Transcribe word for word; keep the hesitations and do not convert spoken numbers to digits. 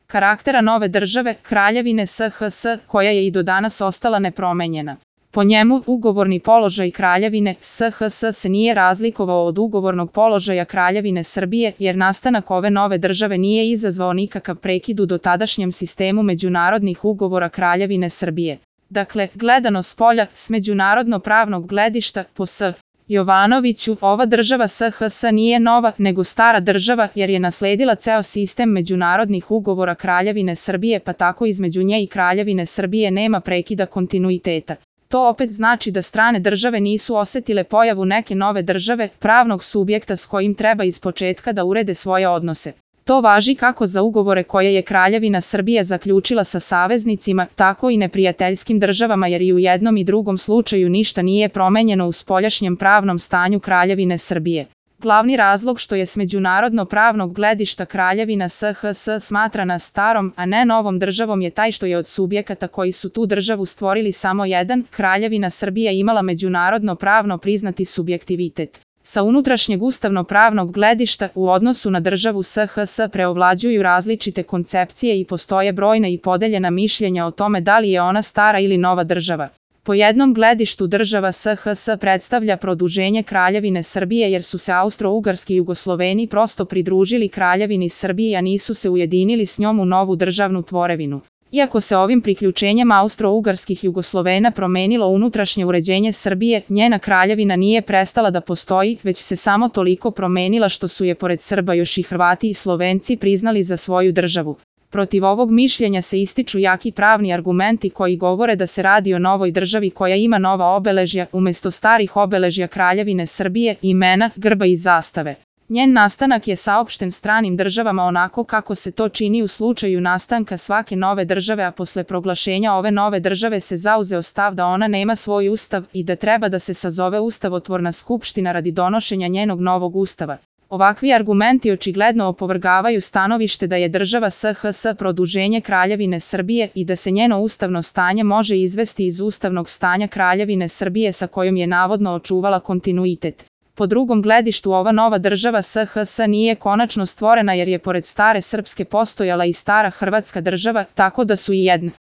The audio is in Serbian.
karaktera nove države, Kraljevine S H S, koja je i do danas ostala nepromenjena. Po njemu, ugovorni položaj Kraljevine S H S se nije razlikovao od ugovornog položaja Kraljevine Srbije, jer nastanak ove nove države nije izazvao nikakav prekid u dotadašnjem sistemu međunarodnih ugovora Kraljevine Srbije. Dakle, gledano spolja, s međunarodno-pravnog gledišta, po S. Jovanoviću, ova država S H S nije nova, nego stara država, jer je nasledila ceo sistem međunarodnih ugovora Kraljevine Srbije, pa tako između nje i Kraljevine Srbije nema prekida kontinuiteta. To opet znači da strane države nisu osetile pojavu neke nove države, pravnog subjekta s kojim treba ispočetka da urede svoje odnose. To važi kako za ugovore koje je Kraljevina Srbije zaključila sa saveznicima, tako i neprijateljskim državama, jer i u jednom i drugom slučaju ništa nije promenjeno u spoljašnjem pravnom stanju Kraljevine Srbije. Glavni razlog što je s međunarodno-pravnog gledišta Kraljevina S H S smatrana starom, a ne novom državom je taj što je od subjekata koji su tu državu stvorili samo jedan, Kraljevina Srbija imala međunarodno-pravno priznati subjektivitet. Sa unutrašnjeg ustavno-pravnog gledišta u odnosu na državu S H S preovlađuju različite koncepcije i postoje brojna i podeljena mišljenja o tome da li je ona stara ili nova država. Po jednom gledištu država S H S predstavlja produženje Kraljevine Srbije jer su se Austro-Ugarski Jugosloveni prosto pridružili Kraljevini Srbije, a nisu se ujedinili s njom u novu državnu tvorevinu. Iako se ovim priključenjem Austro-Ugarskih Jugoslovena promenilo unutrašnje uređenje Srbije, njena kraljevina nije prestala da postoji, već se samo toliko promenila što su je pored Srba još i Hrvati i Slovenci priznali za svoju državu. Protiv ovog mišljenja se ističu jaki pravni argumenti koji govore da se radi o novoj državi koja ima nova obeležja, umesto starih obeležja Kraljevine Srbije, imena, grba i zastave. Njen nastanak je saopšten stranim državama onako kako se to čini u slučaju nastanka svake nove države, a posle proglašenja ove nove države se zauzeo stav da ona nema svoj ustav i da treba da se sazove ustavotvorna skupština radi donošenja njenog novog ustava. Ovakvi argumenti očigledno opovrgavaju stanovište da je država S H S produženje Kraljevine Srbije i da se njeno ustavno stanje može izvesti iz ustavnog stanja Kraljevine Srbije sa kojom je navodno očuvala kontinuitet. Po drugom gledištu ova nova država S H S nije konačno stvorena jer je pored stare srpske postojala i stara hrvatska država, tako da su i jedna.